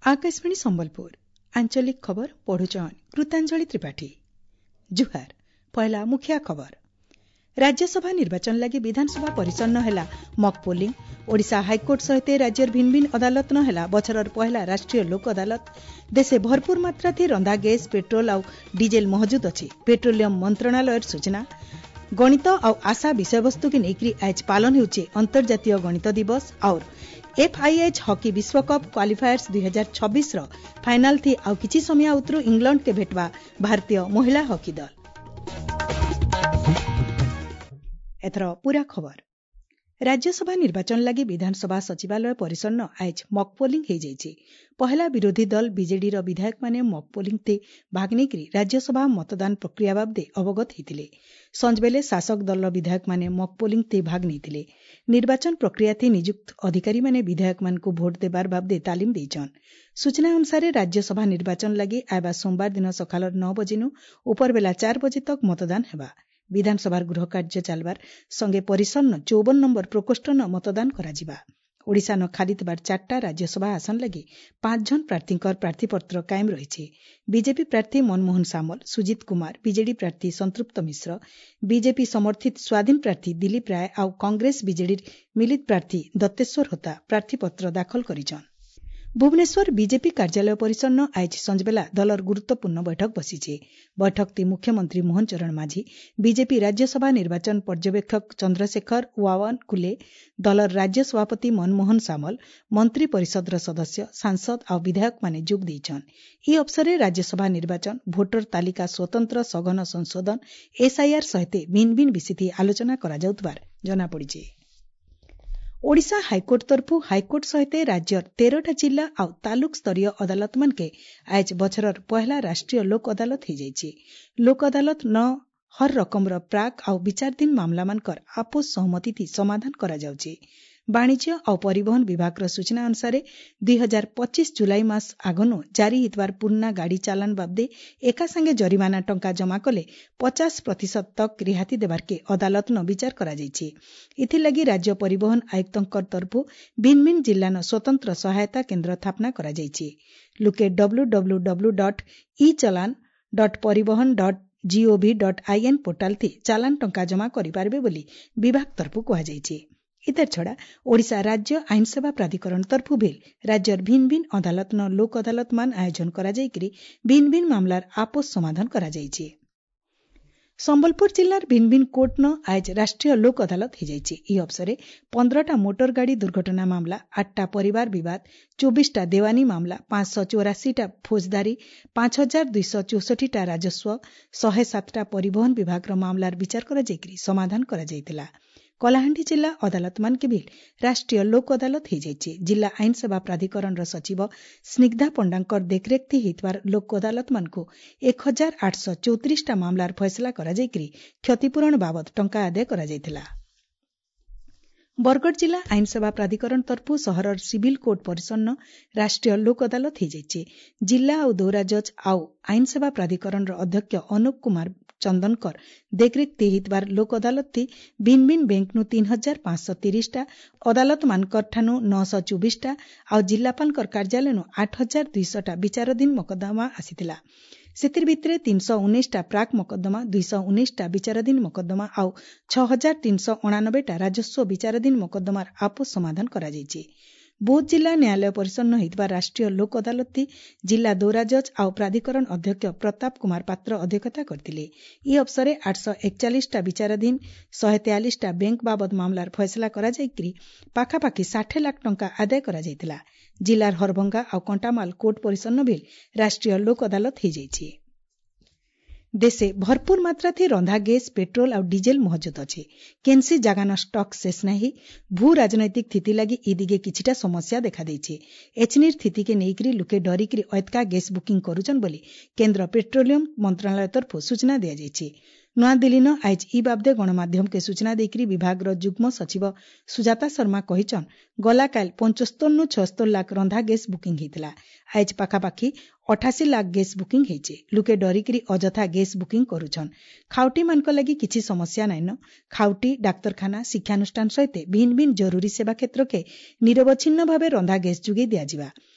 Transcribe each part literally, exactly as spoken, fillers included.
ଆକାଶବାଣୀ ସମ୍ବଲପୁର ଆଞ୍ଚଳିକ ଖବର ପଢୁଛନ୍ କୃତାଞ୍ଜଳି ତ୍ରିପାଠୀ ଜୁହାର ପହିଲା ମୁଖିଆ ଖବର ରାଜ୍ୟସଭା ନିର୍ବାଚନ ଲାଗି ବିଧାନସଭା ପରିସନ୍ନ ହେଲା ମକ୍ ପୋଲିଂ ଓଡ଼ିଶା ହାଇକୋର୍ଟ ସହିତ ରାଜ୍ୟର ଭିନ୍ନ ଭିନ୍ନ ଅଦାଲତ ନ ହେଲା ବଛରର ପହିଲା ରାଷ୍ଟ୍ରୀୟ ଲୋକ ଅଦାଲତ ଦେଶେ ଭରପୁର ମାତ୍ରାଥି ରନ୍ଧା ଗ୍ୟାସ୍ ପେଟ୍ରୋଲ ଆଉ ଡିଜେଲ ମହଜୁଦ ଅଛି ପେଟ୍ରୋଲିୟମ ମନ୍ତ୍ରଣାଳୟର ସୂଚନା ଗଣିତ ଆଉ ଆଶା ବିଷୟବସ୍ତୁକେ ନେଇକରି ଆଜ ପାଳନ ହେଉଛି ଅନ୍ତର୍ଜାତୀୟ ଗଣିତ ଦିବସ ଆଉର ଏଫ୍ଆଇଏଚ୍ ହକି ବିଶ୍ୱକପ୍ କ୍ୱାଲିଫାୟର୍ସ ଦୁଇ ହଜାର ଛବିଶର ଫାଇନାଲ ଥି ଆଉ କିଛି ସମୟ ଉତରୁ ଇଂଲଣ୍ଡକେ ଭେଟବା ଭାରତୀୟ ମହିଳା ହକି ଦଳ ଏଥର ପୂରା ଖବର ରାଜ୍ୟସଭା ନିର୍ବାଚନ ଲାଗି ବିଧାନସଭା ସଚିବାଳୟ ପରିସନ୍ନ ଆଏଜ୍ ମକ୍ ପୋଲିଂ ହୋଇଯାଇଛି ପହେଲା ବିରୋଧୀ ଦଳ ବିଜେଡିର ବିଧାୟକମାନେ ମକ୍ ପୋଲିଂ ଥି ଭାଗ ନେଇକରି ରାଜ୍ୟସଭା ମତଦାନ ପ୍ରକ୍ରିୟା ବାବଦେ ଅବଗତ ହୋଇଥିଲେ ସଞ୍ଜବେଲେ ଶାସକ ଦଳର ବିଧାୟକମାନେ ମକ୍ ପୋଲିଂ ଥି ଭାଗ ନେଇଥିଲେ ନିର୍ବାଚନ ପ୍ରକ୍ରିୟା ଥି ନିଯୁକ୍ତ ଅଧିକାରୀମାନେ ବିଧାୟକମାନଙ୍କୁ ଭୋଟ ଦେବାର ବାବଦେ ତାଲିମ ଦେଇଛନ୍ ସୂଚନା ଅନୁସାରେ ରାଜ୍ୟସଭା ନିର୍ବାଚନ ଲାଗି ଆଇବା ସୋମବାର ଦିନ ସକାଳ ନଅ ବଜେନୁ ଉପରବେଲା ଚାର ବଜେ ତକ୍ ମତଦାନ ହେବା ବିଧାନସଭାର ଗୃହ କାର୍ଯ୍ୟ ଚାଲବାର ସଙ୍ଗେ ପରିସନ୍ନ ଚଉବନ ନମ୍ବର ପ୍ରକୋଷ୍ଠନ ମତଦାନ କରାଯିବା ଓଡ଼ିଶାନ ଖାଲି ଥିବାର ଚାରିଟା ରାଜ୍ୟସଭା ଆସନ ଲାଗି ପାଞ୍ଚ ଜଣ ପ୍ରାର୍ଥୀଙ୍କର ପ୍ରାର୍ଥୀପତ୍ର କାଏମ ରହିଛି ବିଜେପି ପ୍ରାର୍ଥୀ ମନମୋହନ ସାମଲ ସୁଜିତ କୁମାର ବିଜେଡି ପ୍ରାର୍ଥୀ ସଂତୃପ୍ତ ମିଶ୍ର ବିଜେପି ସମର୍ଥିତ ସ୍ୱାଧୀନ ପ୍ରାର୍ଥୀ ଦିଲ୍ଲୀପ ରାୟ ଆଉ କଂଗ୍ରେସ ବିଜେଡିର ମିଳିତ ପ୍ରାର୍ଥୀ ଦତ୍ତେଶ୍ୱର ହୋତା ପ୍ରାର୍ଥୀପତ୍ର ଦାଖଲ କରିଛନ୍ ଭୁବନେଶ୍ୱର ବିଜେପି କାର୍ଯ୍ୟାଳୟ ପରିସନ୍ନ ଆଏଜ୍ ସଞ୍ଜବେଲା ଦଳର ଗୁରୁତ୍ୱପୂର୍ଣ୍ଣ ବୈଠକ ବସିଛି ବୈଠକଟି ମୁଖ୍ୟମନ୍ତ୍ରୀ ମୋହନ ଚରଣ ମାଝୀ ବିଜେପି ରାଜ୍ୟସଭା ନିର୍ବାଚନ ପର୍ଯ୍ୟବେକ୍ଷକ ଚନ୍ଦ୍ରଶେଖର ୱାୱାନକୁଲେ ଦଳର ରାଜ୍ୟ ସଭାପତି ମନମୋହନ ସାମଲ ମନ୍ତ୍ରୀ ପରିଷଦର ସଦସ୍ୟ ସାଂସଦ ଆଉ ବିଧାୟକମାନେ ଯୋଗ ଦେଇଛନ୍ ଏହି ଅବସରରେ ରାଜ୍ୟସଭା ନିର୍ବାଚନ ଭୋଟର ତାଲିକା ସ୍ୱତନ୍ତ୍ର ସଘନ ସଂଶୋଧନ ଏସ୍ଆଇଆର୍ ସହିତ ଭିନ୍ନ ଭିନ୍ନ ବିଷୟ ଆଲୋଚନା କରାଯାଉଥିବାର ଜଣାପଡ଼ିଛି ଓଡ଼ିଶା ହାଇକୋର୍ଟ ତରଫୁ ହାଇକୋର୍ଟ ସହିତ ରାଜ୍ୟର ତେରଟା ଜିଲ୍ଲା ଆଉ ତାଲୁକ ସ୍ତରୀୟ ଅଦାଲତମାନକେ ଆଏଜ୍ ବଛରର ପହେଲା ରାଷ୍ଟ୍ରୀୟ ଲୋକ ଅଦାଲତ ହୋଇଯାଇଛି ଲୋକ ଅଦାଲତ ନ ହର ରକମର ପ୍ରାକ୍ ଆଉ ବିଚାରାଧୀନ ମାମଲାମାନଙ୍କର ଆପୋଷ ସହମତି ସମାଧାନ କରାଯାଉଛି ବାଣିଜ୍ୟ ଆଉ ପରିବହନ ବିଭାଗର ସୂଚନା ଅନୁସାରେ ଦୁଇ ହଜାର ପଚିଶ ଜୁଲାଇ ମାସ ଆଗନୁ ଜାରି ହେଇଥିବାର ପୁରୁଣା ଗାଡ଼ି ଚାଲାଣ ବାବଦେ ଏକାସାଙ୍ଗେ ଜରିମାନା ଟଙ୍କା ଜମା କଲେ ପଚାଶ ପ୍ରତିଶତ ତକ୍ ରିହାତି ଦେବାର୍କେ ଅଦାଲତନ ବିଚାର କରାଯାଇଛି ଏଥିଲାଗି ରାଜ୍ୟ ପରିବହନ ଆୟୁକ୍ତଙ୍କ ତରଫୁ ଭିନ୍ନ ଭିନ୍ନ ଜିଲ୍ଲାନ ସ୍ୱତନ୍ତ୍ର ସହାୟତା କେନ୍ଦ୍ର ସ୍ଥାପନା କରାଯାଇଛି ଲୁକେ W W W dot e challan dot Parivahan dot gov dot in portal ଥି ଚାଲାଣ ଟଙ୍କା ଜମା କରିପାରିବେ ବୋଲି ବିଭାଗ ତରଫୁ କୁହାଯାଇଛି ଇତାର ଛଡ଼ା ଓଡ଼ିଶା ରାଜ୍ୟ ଆଇନସେବା ପ୍ରାଧିକରଣ ତରଫୁ ଭିଲ୍ ରାଜ୍ୟର ଭିନ୍ନ ଭିନ୍ନ ଅଦାଲତନ ଲୋକ ଅଦାଲତମାନ ଆୟୋଜନ କରାଯାଇକରି ଭିନ୍ନ ଭିନ୍ନ ମାମଲାର ଆପୋଷ ସମାଧାନ କରାଯାଇଛି ସମ୍ବଲପୁର ଜିଲ୍ଲାର ଭିନ୍ନ ଭିନ୍ନ କୋର୍ଟନ ଆଏଜ୍ ରାଷ୍ଟ୍ରୀୟ ଲୋକ ଅଦାଲତ ହୋଇଯାଇଛି ଏହି ଅବସରରେ ପନ୍ଦରଟା ମୋଟର ଗାଡ଼ି ଦୁର୍ଘଟଣା ମାମଲା ଆଠଟା ପରିବାର ବିବାଦ ଚବିଶଟା ଦେୱାନୀ ମାମଲା ପାଞ୍ଚଶହ ଚଉରାଶୀଟା ଫୌଜଦାରୀ ପାଞ୍ଚ ହଜାର ଦୁଇଶହ ଚଉଷଠିଟା ରାଜସ୍ୱ ଶହେ ସାତଟା ପରିବହନ ବିଭାଗର ମାମଲାର ବିଚାର କରାଯାଇକରି ସମାଧାନ କରାଯାଇଥିଲା କଳାହାଣ୍ଡି ଜିଲ୍ଲା ଅଦାଲତମାନକେ ବି ରାଷ୍ଟ୍ରୀୟ ଲୋକ ଅଦାଲତ ହୋଇଯାଇଛି ଜିଲ୍ଲା ଆଇନସେବା ପ୍ରାଧିକରଣର ସଚିବ ସ୍ନିଗ୍ଧା ପଣ୍ଡାଙ୍କର ଦେଖରେଖ ହୋଇଥିବାର ଲୋକ ଅଦାଲତମାନଙ୍କୁ ଏକ ହଜାର ଆଠଶହ ଚଉତିରିଶଟା ମାମଲାର ଫଇସଲା କରାଯାଇକରି କ୍ଷତିପୂରଣ ବାବଦ ଟଙ୍କା ଆଦାୟ କରାଯାଇଥିଲା ବରଗଡ଼ ଜିଲ୍ଲା ଆଇନସେବା ପ୍ରାଧିକରଣ ତରଫୁ ସହରର ସିଭିଲ କୋର୍ଟ ପରିସନ୍ନ ରାଷ୍ଟ୍ରୀୟ ଲୋକ ଅଦାଲତ ହୋଇଯାଇଛି ଜିଲ୍ଲା ଆଉ ଦୌରା ଜଜ୍ ଆଉ ଆଇନସେବା ପ୍ରାଧିକରଣର ଅଧ୍ୟକ୍ଷ ଅନୁପ କୁମାର ଚନ୍ଦନକର ଦେଖରେଖ ହେଇଥିବାର ଲୋକ ଅଦାଲତଟି ଭିନ୍ନ ଭିନ୍ନ ବ୍ୟାଙ୍କନୁ ତିନି ହଜାର ପାଞ୍ଚଶହ ତିରିଶଟା ଅଦାଲତମାନଙ୍କଠାନୁ ନଅଶହ ଚବିଶଟା ଆଉ ଜିଲ୍ଲାପାଳଙ୍କର କାର୍ଯ୍ୟାଳୟନୁ ଆଠ ହଜାର ଦୁଇଶହଟା ବିଚାରାଧୀନ ମକଦ୍ଦମା ଆସିଥିଲା ସେଥିର ଭିତରେ ତିନିଶହ ଉଣେଇଶଟା ପ୍ରାକ୍ ମକଦ୍ଦମା ଦୁଇଶହ ଉଣେଇଶଟା ବିଚାରାଧୀନ ମକଦ୍ଦମା ଆଉ ଛଅ ହଜାର ତିନିଶହ ଅଣାନବେଟା ରାଜସ୍ୱ ବିଚାରାଧୀନ ମକଦ୍ଦମାର ଆପୋଷ ସମାଧାନ କରାଯାଇଛି ବୌଦ୍ଧ ଜିଲ୍ଲା ନ୍ୟାୟାଳୟ ପରିସନ୍ନ ହୋଇଥିବା ରାଷ୍ଟ୍ରୀୟ ଲୋକ ଅଦାଲତଟି ଜିଲ୍ଲା ଦୌରା ଜଜ୍ ଆଉ ପ୍ରାଧିକରଣ ଅଧ୍ୟକ୍ଷ ପ୍ରତାପ କୁମାର ପାତ୍ର ଅଧ୍ୟକ୍ଷତା କରିଥିଲେ ଏହି ଅବସରରେ ଆଠଶହ ଏକଚାଳିଶଟା ବିଚାରାଧୀନ ଶହେ ତେୟାଳିଶଟା ବ୍ୟାଙ୍କ ବାବଦ ମାମଲାର ଫଇସଲା କରାଯାଇକରି ପାଖାପାଖି ଷାଠିଏ ଲାଖ ଟଙ୍କା ଆଦାୟ କରାଯାଇଥିଲା ଜିଲ୍ଲାର ହରଭଙ୍ଗା ଆଉ କଣ୍ଟାମାଲ କୋର୍ଟ ପରିସନ୍ନ ବି ରାଷ୍ଟ୍ରୀୟ ଲୋକ ଅଦାଲତ ହୋଇଯାଇଛି ଦେଶେ ଭରପୁର ମାତ୍ରାଥି ରନ୍ଧା ଗ୍ୟାସ୍ ପେଟ୍ରୋଲ ଆଉ ଡିଜେଲ ମହଜୁଦ ଅଛି କେନ୍ସି ଜାଗାନ ଷ୍ଟକ୍ ଶେଷ ନାହିଁ ଭୂ ରାଜନୈତିକ ସ୍ଥିତି ଲାଗି ଇ ଦିଗେ କିଛିଟା ସମସ୍ୟା ଦେଖାଦେଇଛି ଏଚନିର ସ୍ଥିତିକେ ନେଇକରି ଲୁକେ ଡରିକରି ଅଏତକା ଗ୍ୟାସ୍ ବୁକିଂ କରୁଛନ୍ ବୋଲି କେନ୍ଦ୍ର ପେଟ୍ରୋଲିୟମ ମନ୍ତ୍ରଣାଳୟ ତରଫୁ ସୂଚନା ଦିଆଯାଇଛି ନୂଆଦିଲ୍ଲୀନ ଆଏଜ୍ ଇ ବାବଦେ ଗଣମାଧ୍ୟମକେ ସୂଚନା ଦେଇକରି ବିଭାଗର ଯୁଗ୍ମ ସଚିବ ସୁଜାତା ଶର୍ମା କହିଛନ୍ ଗଲାକାଲି ପଞ୍ଚସ୍ତରନୁ ଛଅସ୍ତର ଲାଖ ରନ୍ଧା ଗ୍ୟାସ୍ ବୁକିଂ ହେଇଥିଲା ଆଏଜ୍ ପାଖାପାଖି ଅଠାଅଶୀ ଲାଖ ଗ୍ୟାସ୍ ବୁକିଂ ହେଇଛେ ଲୁକେ ଡରିକରି ଅଯଥା ଗ୍ୟାସ୍ ବୁକିଂ କରୁଛନ୍ ଖାଉଟିମାନଙ୍କ ଲାଗି କିଛି ସମସ୍ୟା ନାଇଁନ ଖାଉଟି ଡାକ୍ତରଖାନା ଶିକ୍ଷାନୁଷ୍ଠାନ ସହିତ ଭିନ୍ନ ଭିନ୍ନ ଜରୁରୀ ସେବା କ୍ଷେତ୍ରକେ ନିରବଚ୍ଛିନ୍ନ ଭାବେ ରନ୍ଧା ଗ୍ୟାସ୍ ଯୋଗାଇ ଦିଆଯିବା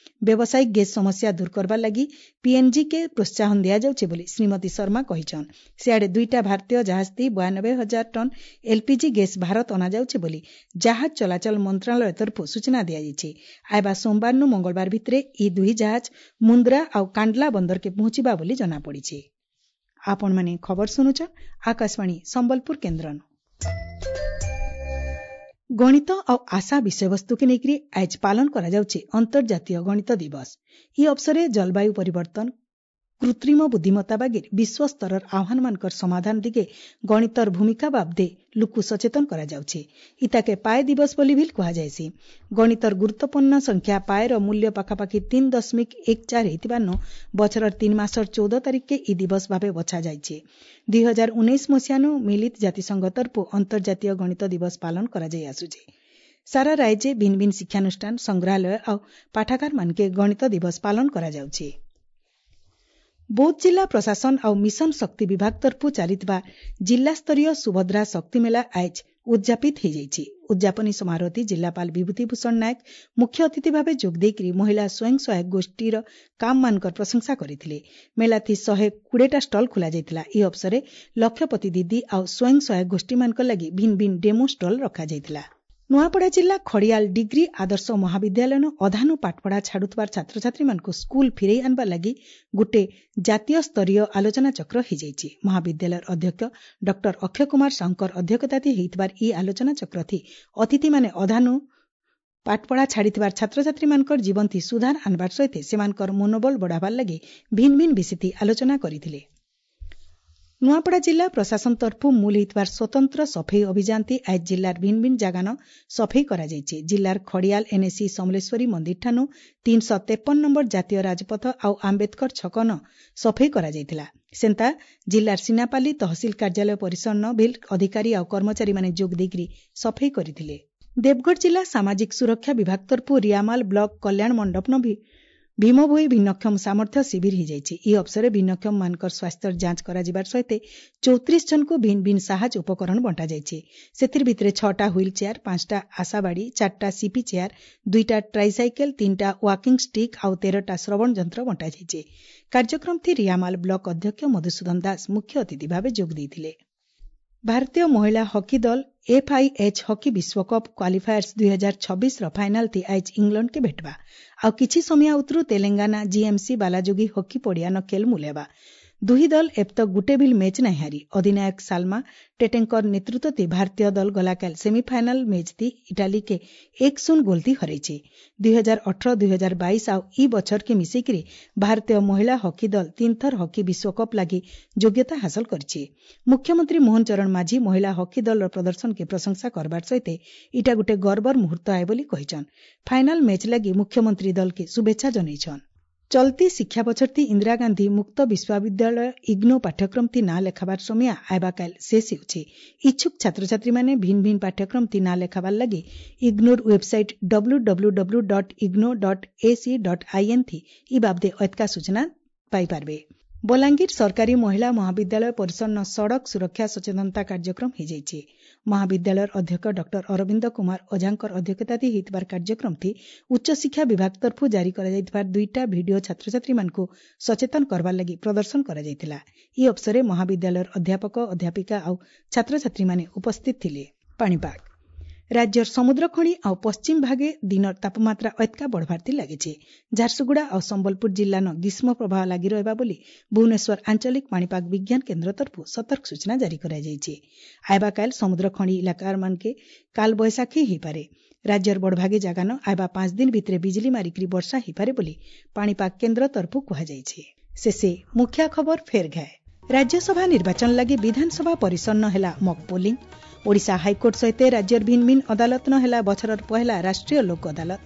ବ୍ୟବସାୟିକ ଗ୍ୟାସ୍ ସମସ୍ୟା ଦୂର କରବାର ଲାଗି ପିଏନ୍ଜି କେ ପ୍ରୋତ୍ସାହନ ଦିଆଯାଉଛି ବୋଲି ଶ୍ରୀମତୀ ଶର୍ମା କହିଛନ୍। ସିଆଡ଼େ ଦୁଇଟା ଭାରତୀୟ ଜାହାଜ ଥି ବୟାନବେ ହଜାର ଟନ୍ ଏଲ୍ପିଜି ଗ୍ୟାସ୍ ଭାରତ ଅଣାଯାଉଛି ବୋଲି ଜାହାଜ ଚଳାଚଳ ମନ୍ତ୍ରଣାଳୟ ତରଫରୁ ସୂଚନା ଦିଆଯାଇଛି। ଆଇବା ସୋମବାରନୁ ମଙ୍ଗଳବାର ଭିତରେ ଇ ଦୁହି ଜାହାଜ ମୁନ୍ଦ୍ରା ଆଉ କାଣ୍ଡଲା ବନ୍ଦରକେ ପହଞ୍ଚିବା ବୋଲି ଜଣାପଡ଼ିଛି। ଆପଣମାନେ ଖବର ଶୁଣୁଛନ୍ ଆକାଶବାଣୀ ସମ୍ବଲପୁର କେନ୍ଦ୍ରନୁ। ଗଣିତ ଆଉ ଆଶା ବିଷୟବସ୍ତୁକେ ନେଇକରି ଆଏଜ୍ ପାଳନ କରାଯାଉଛି ଅନ୍ତର୍ଜାତୀୟ ଗଣିତ ଦିବସ। ଇ ଅବସରେ ଜଳବାୟୁ ପରିବର୍ତ୍ତନ, କୃତ୍ରିମ ବୁଦ୍ଧିମତ୍ତା ବାଗିର ବିଶ୍ୱସ୍ତରର ଆହ୍ୱାନମାନଙ୍କର ସମାଧାନ ଦିଗେ ଗଣିତର ଭୂମିକା ବାବଦେ ଲୁକୁ ସଚେତନ କରାଯାଉଛି। ଇତାକେ ପାଏ ଦିବସ ବୋଲି ବି କୁହାଯାଏସି। ଗଣିତର ଗୁରୁତ୍ୱପୂର୍ଣ୍ଣ ସଂଖ୍ୟା ପାଏର ମୂଲ୍ୟ ପାଖାପାଖି ତିନି ଦଶମିକ ଏକ ଚାରି ହେଇଥିବାରୁ ବଛରର ତିନି ମାସର ଚଉଦ ତାରିଖକେ ଇ ଦିବସ ଭାବେ ବଛାଯାଇଛି। ଦୁଇ ହଜାର ଉଣେଇଶ ମସିହାନୁ ମିଳିତ ଜାତିସଂଘ ତରଫରୁ ଅନ୍ତର୍ଜାତୀୟ ଗଣିତ ଦିବସ ପାଳନ କରାଯାଇ ଆସୁଛି। ସାରା ରାଜ୍ୟେ ଭିନ୍ନ ଭିନ୍ନ ଶିକ୍ଷାନୁଷ୍ଠାନ, ସଂଗ୍ରହାଳୟ ଆଉ ପାଠାଗାରମାନକେ ଗଣିତ ଦିବସ ପାଳନ କରାଯାଉଛି। ବୌଦ୍ଧ ଜିଲ୍ଲା ପ୍ରଶାସନ ଆଉ ମିଶନ ଶକ୍ତି ବିଭାଗ ତରଫରୁ ଚାଲିଥିବା ଜିଲ୍ଲାସ୍ତରୀୟ ସୁଭଦ୍ରା ଶକ୍ତି ମେଳା ଆଏଜ୍ ଉଦ୍ଯାପିତ ହୋଇଯାଇଛି। ଉଦ୍ଯାପନୀ ସମାରୋହଟି ଜିଲ୍ଲାପାଳ ବିଭୂତି ଭୂଷଣ ନାୟକ ମୁଖ୍ୟ ଅତିଥି ଭାବେ ଯୋଗ ଦେଇକରି ମହିଳା ସ୍ୱୟଂ ସହାୟକ ଗୋଷ୍ଠୀର କାମମାନଙ୍କର ପ୍ରଶଂସା କରିଥିଲେ। ମେଳାଥି ଶହେ କୋଡ଼ିଏଟା ଷ୍ଟଲ୍ ଖୋଲାଯାଇଥିଲା। ଏହି ଅବସରରେ ଲକ୍ଷପତି ଦିଦି ଆଉ ସ୍ୱୟଂ ସହାୟକ ଗୋଷ୍ଠୀମାନଙ୍କ ଲାଗି ଭିନ୍ନ ଭିନ୍ନ ଡେମୋ ଷ୍ଟଲ୍ ରଖାଯାଇଥିଲା। ନୂଆପଡ଼ା ଜିଲ୍ଲା ଖଡ଼ିଆଲ ଡିଗ୍ରୀ ଆଦର୍ଶ ମହାବିଦ୍ୟାଳୟନ ଅଧାନୁ ପାଠପଢ଼ା ଛାଡୁଥିବାର ଛାତ୍ରଛାତ୍ରୀମାନଙ୍କୁ ସ୍କୁଲ ଫିରେଇ ଆଣିବା ଲାଗି ଗୋଟେ ଜାତୀୟ ସ୍ତରୀୟ ଆଲୋଚନାଚକ୍ର ହୋଇଯାଇଛି। ମହାବିଦ୍ୟାଳୟର ଅଧ୍ୟକ୍ଷ ଡକ୍ଟର ଅକ୍ଷୟ କୁମାର ସାହୁଙ୍କର ଅଧ୍ୟକ୍ଷତାଥି ହେଇଥିବାର ଇ ଆଲୋଚନାଚକ୍ରଥି ଅତିଥିମାନେ ଅଧାନୁ ପାଠପଢ଼ା ଛାଡ଼ିଥିବାର ଛାତ୍ରଛାତ୍ରୀମାନଙ୍କର ଜୀବନଥି ସୁଧାର ଆଣିବାର ସହିତ ସେମାନଙ୍କର ମନୋବଳ ବଢ଼ାବାର ଲାଗି ଭିନ୍ନ ଭିନ୍ନ ବିଷୟଥି ଆଲୋଚନା କରିଥିଲେ। ନୂଆପଡ଼ା ଜିଲ୍ଲା ପ୍ରଶାସନ ତରଫରୁ ମୂଲ ହେଇଥିବାର ସ୍ୱତନ୍ତ୍ର ସଫେଇ ଅଭିଯାନଥି ଆଏଜ୍ ଜିଲ୍ଲାର ଭିନ୍ନ ଭିନ୍ନ ଜାଗାନ ସଫେଇ କରାଯାଇଛି। ଜିଲ୍ଲାର ଖଡ଼ିଆଲ ଏନ୍ଏସି ସମଲେଶ୍ୱରୀ ମନ୍ଦିରଠାନୁ ତିନିଶହ ତେପନ ନମ୍ବର ଜାତୀୟ ରାଜପଥ ଆଉ ଆମ୍ବେଦକର ଛକନ ସଫେଇ କରାଯାଇଥିଲା। ସେନ୍ତା ଜିଲ୍ଲାର ସିନାପାଲି ତହସିଲ କାର୍ଯ୍ୟାଳୟ ପରିସରନ ଭିଲ୍ ଅଧିକାରୀ ଆଉ କର୍ମଚାରୀମାନେ ଯୋଗ ଦେଇକରି ସଫେଇ କରିଥିଲେ। ଦେବଗଡ଼ ଜିଲ୍ଲା ସାମାଜିକ ସୁରକ୍ଷା ବିଭାଗ ତରଫରୁ ରିଆମାଲ ବ୍ଲକ କଲ୍ୟାଣ ମଣ୍ଡପନ ବି ଭୀମଭୋଇ ଭିନ୍ନକ୍ଷମ ସାମର୍ଥ୍ୟ ଶିବିର ହୋଇଯାଇଛି। ଏହି ଅବସରରେ ଭିନ୍ନକ୍ଷମମାନଙ୍କର ସ୍ୱାସ୍ଥ୍ୟର ଯାଞ୍ଚ କରାଯିବାର ସହିତ ଚଉତିରିଶ ଜଣଙ୍କୁ ଭିନ୍ନ ଭିନ୍ନ ସାହାଯ୍ୟ ଉପକରଣ ବଣ୍ଟାଯାଇଛି। ସେଥିର ଭିତରେ ଛଅଟା ହ୍ୱିଲ୍ ଚେୟାର, ପାଞ୍ଚଟା ଆଶାବାଡ଼ି, ଚାରିଟା ସିପି ଚେୟାର, ଦୁଇଟା ଟ୍ରାଇସାଇକେଲ, ତିନିଟା ୱାକିଂ ଷ୍ଟିକ୍ ଆଉ ତେରଟା ଶ୍ରବଣ ଯନ୍ତ୍ର ବଣ୍ଟାଯାଇଛି। କାର୍ଯ୍ୟକ୍ରମଥି ରିଆମାଲ ବ୍ଲକ ଅଧ୍ୟକ୍ଷ ମଧୁସୂଦନ ଦାସ ମୁଖ୍ୟ ଅତିଥି ଭାବେ ଯୋଗ ଦେଇଥିଲେ। ଭାରତୀୟ ମହିଳା ହକି ଦଳ ଏଫ୍ଆଇଏଚ୍ ହକି ବିଶ୍ୱକପ୍ କ୍ୱାଲିଫାୟର୍ସ ଦୁଇ ହଜାର ଛବିଶର ଫାଇନାଲଥି ଆଏଜ୍ ଇଂଲଣ୍ଡକେ ଭେଟବା। ଆଉ କିଛି ସମୟ ଉତରୁ ତେଲେଙ୍ଗାନା ଜିଏମ୍ସି ବାଲାଯୋଗୀ ହକି ପଡ଼ିଆନ ଖେଲ ମୂଲ ହେବା। ଦୁହି ଦଳ ଏବତକ ଗୁଟେ ଭିଲ୍ ମ୍ୟାଚ୍ ନାଇଁ ହାରି। ଅଧିନାୟକ ସାଲମା ଟେଟେଙ୍କର ନେତୃତ୍ୱ ଭାରତୀୟ ଦଳ ଗଲାକାଲ ସେମିଫାଇନାଲ ମ୍ୟାଚ୍ ଥି ଇଟାଲୀକେ ଏକ ଶୂନ ଗୋଲଥି ହରାଇଛି। ଦୁଇ ହଜାର ଅଠର, ଦୁଇ ହଜାର ବାଇଶ ଆଉ ଇ ବଛରକେ ମିଶେଇକରି ଭାରତୀୟ ମହିଳା ହକି ଦଳ ତିନିଥର ହକି ବିଶ୍ୱକପ୍ ଲାଗି ଯୋଗ୍ୟତା ହାସଲ କରିଛି। ମୁଖ୍ୟମନ୍ତ୍ରୀ ମୋହନ ଚରଣ ମାଝୀ ମହିଳା ହକି ଦଳର ପ୍ରଦର୍ଶନକେ ପ୍ରଶଂସା କରବାର ସହିତ ଇଟା ଗୋଟେ ଗର୍ବର ମୁହୂର୍ତ୍ତ ଆଏ ବୋଲି କହିଛନ୍। ଫାଇନାଲ ମ୍ୟାଚ୍ ଲାଗି ମୁଖ୍ୟମନ୍ତ୍ରୀ ଦଳକେ ଶୁଭେଚ୍ଛା ଜଣାଇଛନ୍। ଚଲତି ଶିକ୍ଷା ବଛରଥି ଇନ୍ଦିରା ଗାନ୍ଧୀ ମୁକ୍ତ ବିଶ୍ୱବିଦ୍ୟାଳୟ ଇଗ୍ନୋ ପାଠ୍ୟକ୍ରମଥି ନାଁ ଲେଖାବାର ସମୟ ଆଇବାକାଲ ଶେଷ ହେଉଛି। ଇଚ୍ଛୁକ ଛାତ୍ରଛାତ୍ରୀମାନେ ଭିନ୍ନ ଭିନ୍ନ ପାଠ୍ୟକ୍ରମଥି ନାଁ ଲେଖାବାର ଲାଗି ignore website W W W dot IGNOU dot AC dot IN ଥି ଇ ବାବଦେ ଅତକା ସୂଚନା ପାଇପାରବେ। ବଲାଙ୍ଗୀର ସରକାରୀ ମହିଳା ମହାବିଦ୍ୟାଳୟ ପରିସରନ ସଡ଼କ ସୁରକ୍ଷା ସଚେତନତା କାର୍ଯ୍ୟକ୍ରମ ହୋଇଯାଇଛି। ମହାବିଦ୍ୟାଳୟର ଅଧ୍ୟକ୍ଷ ଡକ୍ଟର ଅରବିନ୍ଦ କୁମାର ଓଝାଙ୍କର ଅଧ୍ୟକ୍ଷତାଥି ହେଇଥିବାର କାର୍ଯ୍ୟକ୍ରମଥି ଉଚ୍ଚଶିକ୍ଷା ବିଭାଗ ତରଫରୁ ଜାରି କରାଯାଇଥିବା ଦୁଇଟା ଭିଡିଓ ଛାତ୍ରଛାତ୍ରୀମାନଙ୍କୁ ସଚେତନ କରବାର ଲାଗି ପ୍ରଦର୍ଶନ କରାଯାଇଥିଲା। ଏହି ଅବସରରେ ମହାବିଦ୍ୟାଳୟର ଅଧ୍ୟାପକ, ଅଧ୍ୟାପିକା ଆଉ ଛାତ୍ରଛାତ୍ରୀମାନେ ଉପସ୍ଥିତ ଥିଲେ। ପାଣିପାଗ ରାଜ୍ୟର ସମୁଦ୍ର ଖଣି ଆଉ ପଶ୍ଚିମ ଭାଗେ ଦିନର ତାପମାତ୍ରା ଅତ୍କା ବଢ଼ବାର୍ତି ଲାଗିଛି। ଝାରସୁଗୁଡ଼ା ଆଉ ସମ୍ବଲପୁର ଜିଲ୍ଲାନ ଗ୍ରୀଷ୍ମ ପ୍ରବାହ ଲାଗି ରହିବା ବୋଲି ଭୁବନେଶ୍ୱର ଆଞ୍ଚଳିକ ପାଣିପାଗ ବିଜ୍ଞାନ କେନ୍ଦ୍ର ତରଫରୁ ସତର୍କ ସୂଚନା ଜାରି କରାଯାଇଛି। ଆଇବାକାଲ ସମୁଦ୍ର ଖଣି ଇଲାକାମାନକେ କାଲ ବୈଶାଖୀ ହେଇପାରେ। ରାଜ୍ୟର ବଡ଼ଭାଗେ ଜାଗାନ ଆଇବା ପାଞ୍ଚ ଦିନ ଭିତରେ ବିଜୁଳି ମାରିକରି ବର୍ଷା ହେଇପାରେ ବୋଲି ପାଣିପାଗ କେନ୍ଦ୍ର ତରଫରୁ କୁହାଯାଇଛି। ଶେଷେ ମୁଖ୍ୟ ଖବର ଫେର ଘାଏ। ରାଜ୍ୟସଭା ନିର୍ବାଚନ ଲାଗି ବିଧାନସଭା ପରିସନ୍ନ ହେଲା ମକ୍ ପୋଲିଂ। ଓଡ଼ିଶା ହାଇକୋର୍ଟ ସହିତ ରାଜ୍ୟର ଭିନ୍ନ ଭିନ୍ନ ଅଦାଲତ ନ ହେଲା ବଛରର ପହେଲା ରାଷ୍ଟ୍ରୀୟ ଲୋକ ଅଦାଲତ।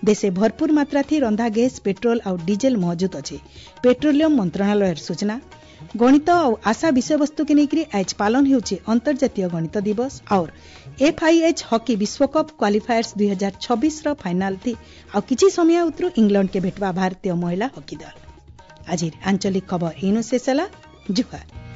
ଦେଶେ ଭରପୁର ମାତ୍ରାଥି ରନ୍ଧା ଗ୍ୟାସ୍, ପେଟ୍ରୋଲ ଆଉ ଡିଜେଲ ମହଜୁଦ ଅଛି, ପେଟ୍ରୋଲିୟମ ମନ୍ତ୍ରଣାଳୟର ସୂଚନା। ଗଣିତ ଆଉ ଆଶା ବିଷୟବସ୍ତୁକେ ନେଇକରି ଆଏଜ୍ ପାଳନ ହେଉଛି ଅନ୍ତର୍ଜାତୀୟ ଗଣିତ ଦିବସ। ଆଉର ଏଫ୍ଆଇଏଚ୍ ହକି ବିଶ୍ୱକପ୍ କ୍ୱାଲିଫାୟର୍ସ ଦୁଇ ହଜାର ଛବିଶର ଫାଇନାଲ ଥି ଆଉ କିଛି ସମୟ ଉତରୁ ଇଂଲଣ୍ଡକେ ଭେଟବା ଭାରତୀୟ ମହିଳା ହକି ଦଳ। ଆଜିର ଆଞ୍ଚଳିକ ଖବର ଇନୁ ଶେଷ ହେଲା। ଜୁହାର।